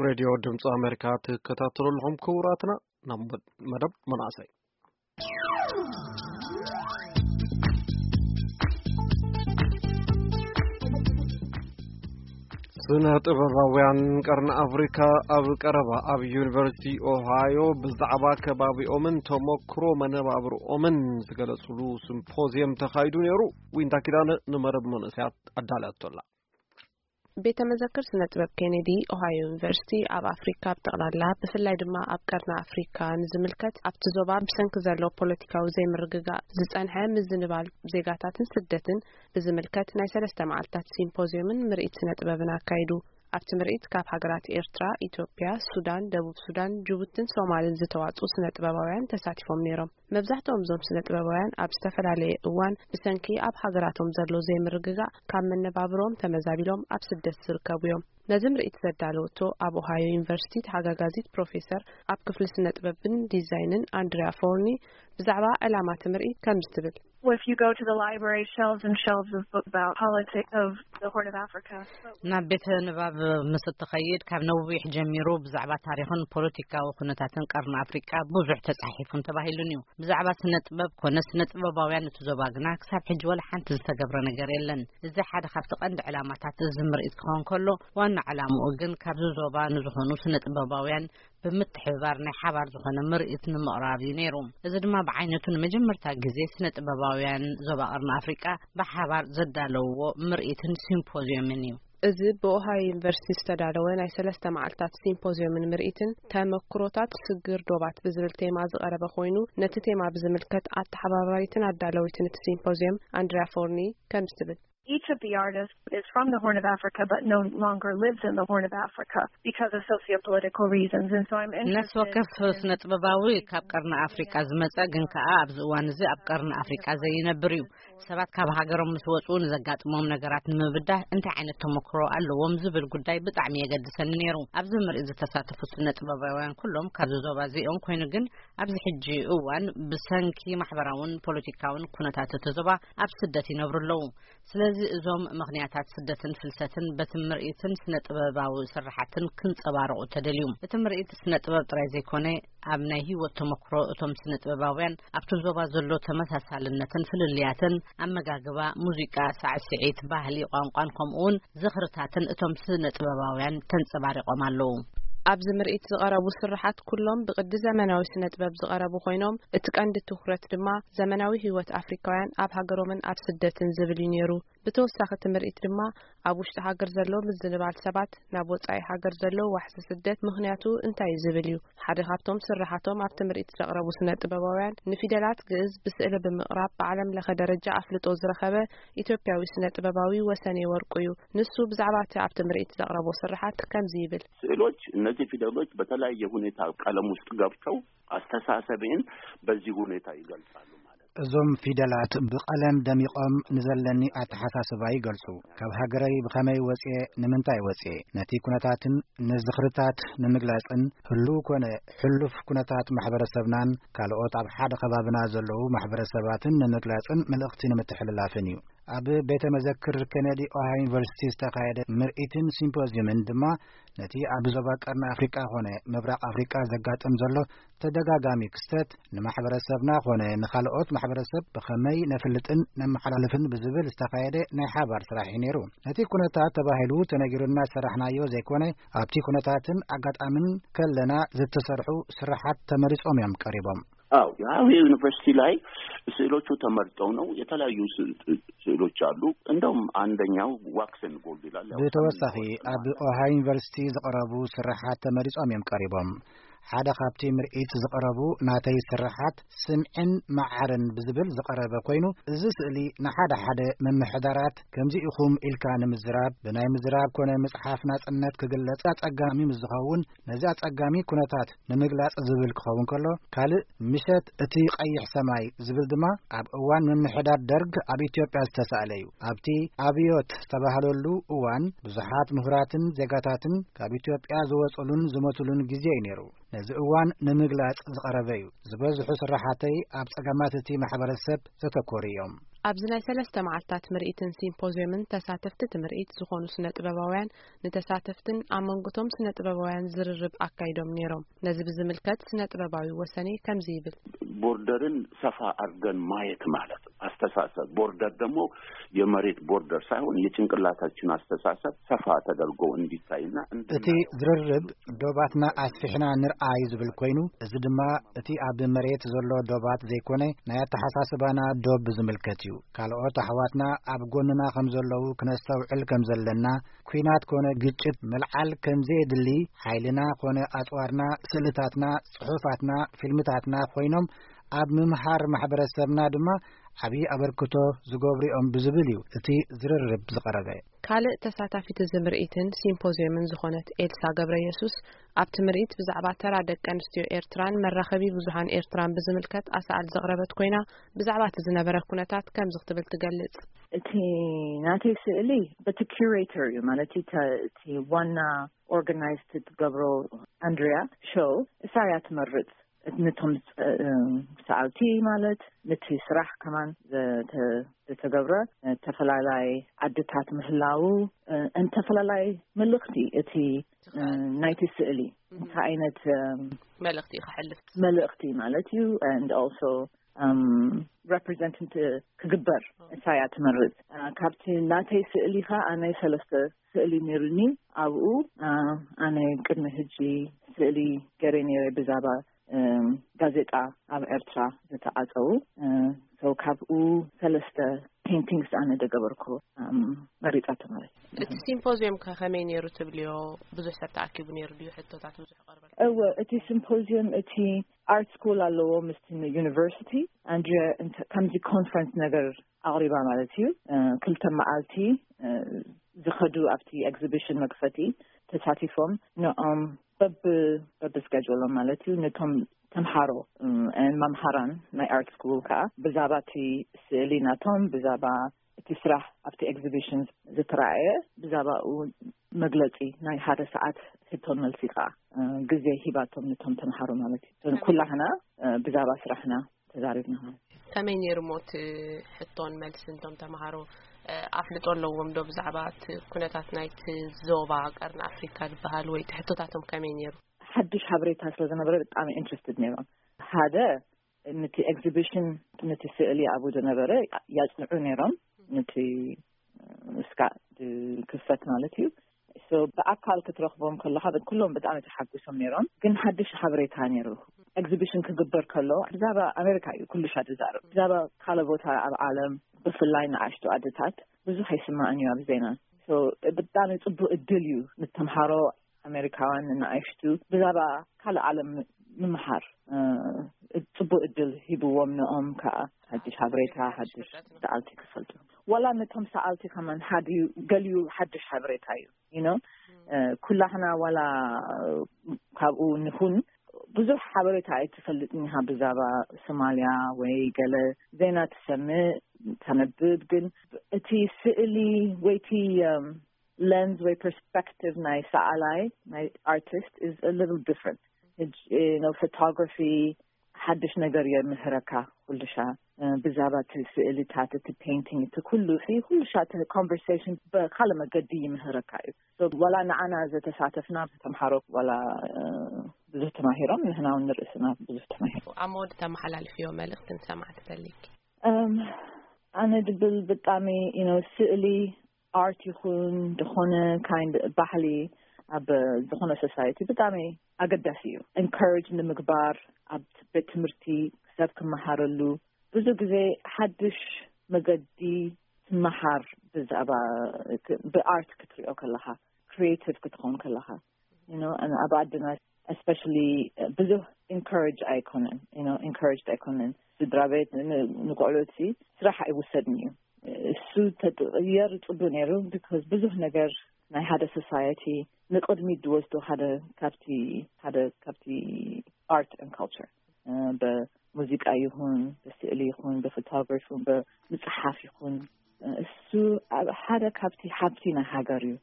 ሬድዮ ድምፂ ኣሜሪካ ትከታተሉ ኣለኹም ክቡራትና። ናብ መድ-፣ መደብ መናእሰይ። ስነ ጥበባውያን ቀርኒ ኣፍሪካ ኣብ ቀረባ ኣብ ዩኒቨርሲቲ ኦሃዮ ብዛዕባ ከባቢኦምን ተመክሮ መነባብርኦምን ዝገለጽሉ ሲምፖዚየም ተኻይዱ ነይሩ። ዊንታ ኪዳነ ንመረብ መንእሰያት ኣዳልያቶላ። ቤተ መዘክር ስነ ጥበብ ኬኔዲ ኦሃዮ ዩኒቨርሲቲ ኣብ ኣፍሪካ ብጠቕላላ፣ ብፍላይ ድማ ኣብ ቀርኒ ኣፍሪካ ንዝምልከት፣ ኣብቲ ዞባ ብሰንኪ ዘሎ ፖለቲካዊ ዘይምርግጋእ ዝጸንሐ ምዝንባል ዜጋታትን ስደትን ብዝምልከት ናይ ሰለስተ መዓልታት ሲምፖዚየምን ምርኢት ስነ ጥበብን ኣካይዱ። ኣብቲ ምርኢት ካብ ሃገራት ኤርትራ፣ ኢትዮጵያ፣ ሱዳን፣ ደቡብ ሱዳን፣ ጅቡትን ሶማልን ዝተዋጽኡ ስነ ጥበባውያን ተሳቲፎም ነይሮም። መብዛሕትኦም እዞም ስነ ጥበባውያን ኣብ ዝተፈላለየ እዋን ብሰንኪ ኣብ ሃገራቶም ዘሎ ዘይምርግጋእ ካብ መነባብሮም ተመዛቢሎም ኣብ ስደት ዝርከቡ እዮም። ነዚ ምርኢት ዘዳለወቶ ኣብ ኦሃዮ ዩኒቨርሲቲ ተሓጋጋዚት ፕሮፌሰር ኣብ ክፍሊ ስነ ጥበብን ዲዛይንን ኣንድሪያ ፎርኒ ብዛዕባ ዕላማ እቲ ምርኢት ከምዚ ትብል። Well, if you go to the library, shelves and shelves of books about politics of the Horn of Africa. ናብ ቤተ ንባብ ምስ እትኸይድ፣ ካብ ነዊሕ ጀሚሩ ብዛዕባ ታሪኽን ፖለቲካዊ ኩነታትን ቀርኒ ኣፍሪቃ ብዙሕ ተጻሒፉን ተባሂሉን እዩ። ብዛዕባ ስነ ጥበብ ኮነ ስነ ጥበባውያን እቲ ዞባ ግና ክሳብ ሕጂ ወላ ሓንቲ ዝተገብረ ነገር የለን። እዚ ሓደ ካብቲ ቀንዲ ዕላማታት እዚ ምርኢት ክኸውን ከሎ፣ ዋና ዕላምኡ ግን ካብዚ ዞባ ንዝኾኑ ስነ ጥበባውያን ብምትሕብባር ናይ ሓባር ዝኾነ ምርኢት ንምቕራብ እዩ ነይሩ። እዚ ድማ ብዓይነቱ ንመጀመርታ ግዜ ስነ ጥበባውያን ዞባ ቀርኒ ኣፍሪቃ ብሓባር ዘዳለውዎ ምርኢትን ሲምፖዚየምን እዩ። እዚ ብኦሃዮ ዩኒቨርሲቲ ዝተዳለወ ናይ ሰለስተ መዓልታት ሲምፖዚየምን ምርኢትን፣ ተመክሮታት ስግር ዶባት ብዝብል ቴማ ዝቐረበ ኮይኑ፣ ነቲ ቴማ ብዝምልከት ኣተሓባባሪትን ኣዳለዊትን እቲ ሲምፖዚየም ኣንድሪያ ፎርኒ ከምዚ ትብል። Each of the artists is from the Horn of Africa, but no longer lives in the Horn of Africa because of socio-political reasons. And so I'm ነፍሲ interested ወከፍ in ስነ ጥበባዊ ካብ ቀርኒ ኣፍሪቃ ዝመጸ፣ ግን ከኣ ኣብዚ እዋን እዚ ኣብ ቀርኒ ኣፍሪቃ ዘይነብር እዩ። ሰባት ካብ ሃገሮም ምስ ወጹ ንዘጋጥሞም ነገራት ንምብዳህ እንታይ ዓይነት ተመክሮ ኣለዎም ዝብል ጉዳይ ብጣዕሚ የገድሰኒ ነይሩ። ኣብዚ ምርኢት ዝተሳተፉ ስነ ጥበባውያን ኩሎም ካብዚ ዞባ እዚኦም ኮይኑ፣ ግን ኣብዚ ሕጂ እዋን ብሰንኪ ማሕበራውን ፖለቲካውን ኩነታት እቲ ዞባ ኣብ ስደት ይነብሩ ኣለዉ። ስለዚ እዞም ምኽንያታት ስደትን ፍልሰትን በቲ ምርኢትን ስነ ጥበባዊ ስርሓትን ክንጸባረቑ ተደልዩ። እቲ ምርኢት ስነ ጥበብ ጥራይ ዘይኮነ፣ ኣብ ናይ ህይወት ተመክሮ እቶም ስነ ጥበባውያን ኣብቲ ዞባ ዘሎ ተመሳሳልነትን ፍልልያትን፣ ኣመጋግባ፣ ሙዚቃ፣ ሳዕስዒት፣ ባህሊ፣ ቋንቋን ከምኡ እውን ዝኽርታትን እቶም ስነ ጥበባውያን ተንጸባሪቖም ኣለዉ። ኣብዚ ምርኢት ዝቐረቡ ስርሓት ኩሎም ብቅዲ ዘመናዊ ስነ ጥበብ ዝቐረቡ ኮይኖም፣ እቲ ቀንዲ ትኹረት ድማ ዘመናዊ ህይወት ኣፍሪካውያን ኣብ ሃገሮምን ኣብ ስደትን ዝብል እዩ ነይሩ። ብተወሳኺ እቲ ምርኢት ድማ ኣብ ውሽጢ ሃገር ዘሎ ምዝንባል ሰባት፣ ናብ ወጻኢ ሃገር ዘሎ ዋሕዚ ስደት ምኽንያቱ እንታይ እዩ ዝብል እዩ። ሓደ ካብቶም ስርሓቶም ኣብቲ ምርኢት ዘቕረቡ ስነ ጥበባውያን፣ ንፊደላት ግእዝ ብስእሊ ብምቕራብ ብዓለም ለኸ ደረጃ ኣፍልጦ ዝረኸበ ኢትዮጵያዊ ስነ ጥበባዊ ወሰኔ ወርቁ እዩ። ንሱ ብዛዕባ እቲ ኣብቲ ምርኢት ዘቕረቦ ስርሓት ከምዚ ይብል። ስዕሎች፣ እነዚህ ፊደሎች በተለያየ ሁኔታ ቀለም ውስጥ ገብተው አስተሳሰቤን በዚህ ሁኔታ ይገልጻሉ ማለት ነው። እዞም ፊደላት ብቐለም ደሚቖም ንዘለኒ ኣተሓሳስባ ይገልጹ። ካብ ሃገረይ ብኸመይ ወጽኤ፣ ንምንታይ ወጽኤ፣ ነቲ ኩነታትን ንዝኽርታት ንምግላጽን፣ ህሉው ኮነ ሕሉፍ ኩነታት ማሕበረሰብናን ካልኦት ኣብ ሓደ ከባብና ዘለዉ ማሕበረሰባትን ንምግላጽን መልእኽቲ ንምትሕልላፍን እዩ። ኣብ ቤተ መዘክር ኬነዲ ኦሃዮ ዩኒቨርሲቲ ዝተኻየደ ምርኢትን ሲምፖዚየምን ድማ፣ ነቲ ኣብ ዞባ ቀርኒ ኣፍሪቃ ኾነ ምብራቕ ኣፍሪቃ ዘጋጥም ዘሎ ተደጋጋሚ ክስተት፣ ንማሕበረሰብና ኾነ ንኻልኦት ማሕበረሰብ ብኸመይ ነፍልጥን ነመሓላልፍን ብዝብል ዝተኻየደ ናይ ሓባር ስራሕ እዩ ነይሩ። ነቲ ኩነታት ተባሂሉ ተነጊሩና ዝሰራሕናዮ ዘይኮነ፣ ኣብቲ ኩነታትን ኣጋጣምን ከለና ዝተሰርሑ ስራሓት ተመሪጾም እዮም ቀሪቦም። አዎ፣ የሃዌ ዩኒቨርሲቲ ላይ ስዕሎቹ ተመርጠው ነው። የተለያዩ ስዕል-፣ ስዕሎች አሉ። እንደውም አንደኛው ዋክሰን ጎልድ ይላል። ያው ብተወሳኺ፣ ሰማያዊ ኣብ ኦሃዮ ዩኒቨርሲቲ ዝቐረቡ ስርሓት ተመሪጾም እዮም ቀሪቦም። ሓደ ካብቲ ምርኢት ዝቐረቡ ናተይ ስርሓት፣ ስምዕን መዓርን ብዝብል ዝቐረበ ኮይኑ፣ እዚ ስእሊ ንሓደ ሓደ ምምሕዳራት ከምዚ ኢኹም ኢልካ ንምዝራብ፣ ብናይ ምዝራብ ኮነ ምጽሓፍ ናጽነት ክግለጽ ኣጸጋሚ ምስ ዝኸውን፣ ነዚ ኣጸጋሚ ኩነታት ንምግላጽ ዝብል ክኸውን ከሎ፣ ካልእ ምሸት እቲ ቀይሕ ሰማይ ዝብል ድማ ኣብ እዋን ምምሕዳር ደርግ ኣብ ኢትዮጵያ ዝተሳእለ እዩ። ኣብቲ ኣብዮት ዝተባህለሉ እዋን ብዙሓት ምሁራትን ዜጋታትን ካብ ኢትዮጵያ ዝወጹሉን ዝሞቱሉን ግዜ እዩ ነይሩ። ነዚ እዋን ንምግላጽ ዝቐረበ እዩ። ዝበዝሑ ስራሓተይ ኣብ ጸገማት እቲ ማሕበረሰብ ዘተኮሩ እዮም። ኣብዚ ናይ ሰለስተ መዓልታት ምርኢትን ሲምፖዝዮምን ተሳተፍቲ እቲ ምርኢት ዝኾኑ ስነ ጥበባውያን ንተሳተፍትን ኣብ መንጎቶም ስነ ጥበባውያን ዝርርብ ኣካይዶም ነይሮም። ነዚ ብዝምልከት ስነ ጥበባዊ ወሰኔ ከምዚ ይብል። ቦርደርን ሰፋ አድርገን ማየት ማለት ነው። አስተሳሰብ ቦርደር ደግሞ የመሬት ቦርደር ሳይሆን የጭንቅላታችን አስተሳሰብ ሰፋ ተደርጎ እንዲታይና እቲ ዝርርብ ዶባትና ኣስፊሕና ንርኣይ ዝብል ኮይኑ፣ እዚ ድማ እቲ ኣብ መሬት ዘሎ ዶባት ዘይኮነ ናይ ኣተሓሳስባና ዶብ ዝምልከት እዩ። ካልኦት ኣሕዋትና ኣብ ጎንና ከም ዘለዉ ክነስተውዕል ከም ዘለና፣ ኲናት ኮነ ግጭት ምልዓል ከም ዘየድሊ፣ ሓይልና ኮነ ኣጽዋርና፣ ስእልታትና፣ ጽሑፋትና፣ ፊልምታትና ኮይኖም ኣብ ምምሃር ማሕበረሰብና ድማ ዓብዪ ኣበርክቶ ዝገብሩ እዮም ብዝብል እዩ እቲ ዝርርብ ዝቐረበ። ካልእ ተሳታፊት እዚ ምርኢትን ሲምፖዝየምን ዝኾነት ኤልሳ ገብረ የሱስ ኣብቲ ምርኢት ብዛዕባ ተራ ደቂ ኣንስትዮ ኤርትራን መራኸቢ ብዙሃን ኤርትራን ብዝምልከት ኣሳእል ዘቕረበት ኮይና፣ ብዛዕባ እቲ ዝነበረ ኩነታት ከምዚ ክትብል ትገልጽ። እቲ ናተይ ስእሊ በቲ ኪሬተር እዩ፣ ማለት እቲ ዋና ኦርጋናይዝ ትገብሮ ኣንድሪያ ሾው እሳ እያ ትመርጽ። ነቶም ሰዓልቲ ማለት ነቲ ስራሕ ከማን ዝተገብረ ተፈላላይ ዓድታት ምህላው እንተፈላላይ መልእኽቲ እቲ ናይቲ ስእሊ እንታይ ዓይነት መልእኽቲ ከሕልፍ መልእኽቲ ማለት እዩ። And also represent ክግበር እሳ እያ ትመርጽ። ካብቲ ናተይ ስእሊ ኸ ኣነ ሰለስተ ስእሊ ነይሩኒ። ኣብኡ ኣነ ቅድሚ ሕጂ ስእሊ ገይረ ነይረ ብዛባ ጋዜጣ ኣብ ኤርትራ ዝተዓጸዉ። So ካብኡ ሰለስተ ፔንቲንግስ ኣነ ደገበርኩ መሪጻቶ ማለት እዩ። እቲ ሲምፖዚየም ከ ከመይ ነይሩ ትብልዮ? ብዙሕ ሰብ ተኣኪቡ ነይሩ ድዩ? ሕቶታት ብዙሕ ቀርበል? እወ፣ እቲ ሲምፖዚየም እቲ ኣርት ስኩል ኣለዎ ምስቲ ዩኒቨርሲቲ ኣንድሪያ ከምዚ ኮንፈረንስ ነገር ኣቕሪባ ማለት እዩ። ክልተ መዓልቲ ዝኸዱ ኣብቲ ኤግዚቢሽን መክፈቲ ተሳቲፎም ንኦም በብ በብ ስኬጁሎም ማለት እዩ ነቶም ተምሃሮ መምሃራን ናይ ኣርት ስኩል ከዓ ብዛባ እቲ ስእሊ ናቶም ብዛባ እቲ ስራሕ ኣብቲ ኤግዚቢሽን ዝተረኣየ ብዛባኡ መግለፂ ናይ ሓደ ሰዓት ሕቶን መልሲ ከዓ ግዜ ሂባቶም ነቶም ተምሃሮ ማለት እዩ። ኩላህና ብዛባ ስራሕና ተዛሪብና ማለት እዩ። ከመይ ነይሩ እሞ እቲ ሕቶን መልስን? እቶም ተምሃሮ ኣፍልጦ ኣለዎም ዶ ብዛዕባ እቲ ኩነታት ናይቲ ዞባ ቀርኒ ኣፍሪካ ዝበሃል ወይ እቲ ሕቶታቶም ከመይ ነይሩ? ሓድሽ ሓበሬታ ስለ ዝነበረ ብጣዕሚ ኢንትረስትድ ነይሮም። ሓደ ነቲ ኤግዚቢሽን ነቲ ስእሊ ኣብኡ ዝነበረ ያጽንዑ ነይሮም። ነቲ እስካ ክፈት ማለት እዩ። ብኣካል ክትረኽቦም ከለካ ኩሎም ብጣዕሚ ተሓጉሶም ነይሮም። ግን ሓድሽ ሓበሬታ ነይሩ። ኤግዚቢሽን ክግበር ከሎ ብዛባ ኣሜሪካ እዩ ኩሉ ሻ ዝዛረብ። ብዛባ ካልእ ቦታ ኣብ ዓለም ብፍላይ ንኣሽቱ ኣደታት ብዙሕ ኣይስማዕን እዩ ኣብ ዜና። ብጣዕሚ ፅቡቅ እድል እዩ ንተምሃሮ ኣሜሪካውያን ንኣሽቱ ብዛባ ካልእ ዓለም ምምሃር ፅቡቅ እድል ሂብዎም። ንኦም ከዓ ሓድሽ ሓበሬታ ሓድሽ ሰዓልቲ ክፈልጡ ዋላ ነቶም ሰዓልቲ ከማን ሓድዩ ገሊዩ ሓድሽ ሓበሬታ እዩ you know ኩላህና ዋላ ካብኡ ንኹን ብዙሕ ሓበሬታ ኣይትፈልጥን ኢኻ ብዛባ ሶማልያ ወይ ገለ ዜና ትሰምእ ተነብብ ግን እቲ ስእሊ ወይ እቲ lens ወይ perspective ናይ ሰኣላይ ናይ artist is a little different ሕጂ ነው photography ሓድሽ ነገር የምህረካ ኩልሻ ብዛባ እቲ ስእልታት እቲ painting እቲ ኩሉ ሲ ኩልሻ እቲ conversation ብካልእ መገዲ ይምህረካ እዩ። ዋላ ንዓና ዘተሳተፍና ተምሃሮ ዋላ ብዙሕ ተማሂሮም ንሕና እውን ንርእስና ብዙሕ ተማሂሮ። ኣብ መወዲ ተመሓላልፍዮ መልእክቲ ንሰማዕቲ ተሊኪ? ኣነ ድብል ብጣሚ you know ስእሊ art ይኹን ዝኾነ kind ባህሊ ኣብ ዝኾነ society ብጣሚ ኣገዳሲ እዩ። Encourage ንምግባር ኣብ ቤት ትምህርቲ ሰብ ክመሃረሉ ብዙ ግዜ ሓድሽ መገዲ ትመሃር ብዛዕባ ብ art ክትሪኦ ከለኻ creative ክትኾን ከለኻ you know ኣብ ዓድና especially ብዙሕ encourage ኣይኮነን you know encouraged ኣይኮነን ስድራ ቤት ንቆልዑት ስራሕ ኣይውሰድን እዩ እሱ ተጥቅየር ፅቡ ነይሩ because ብዙሕ ነገር ናይ ሓደ society ንቅድሚት ዝወስዶ ሓደ ካብቲ ሓደ ካብቲ art and culture ብሙዚቃ ይኹን ብስእሊ ይኹን ብፎቶግራፊ ይኹን ብምፅሓፍ ይኹን እሱ ሓደ ካብቲ ሃብቲ ናይ ሃገር እዩ።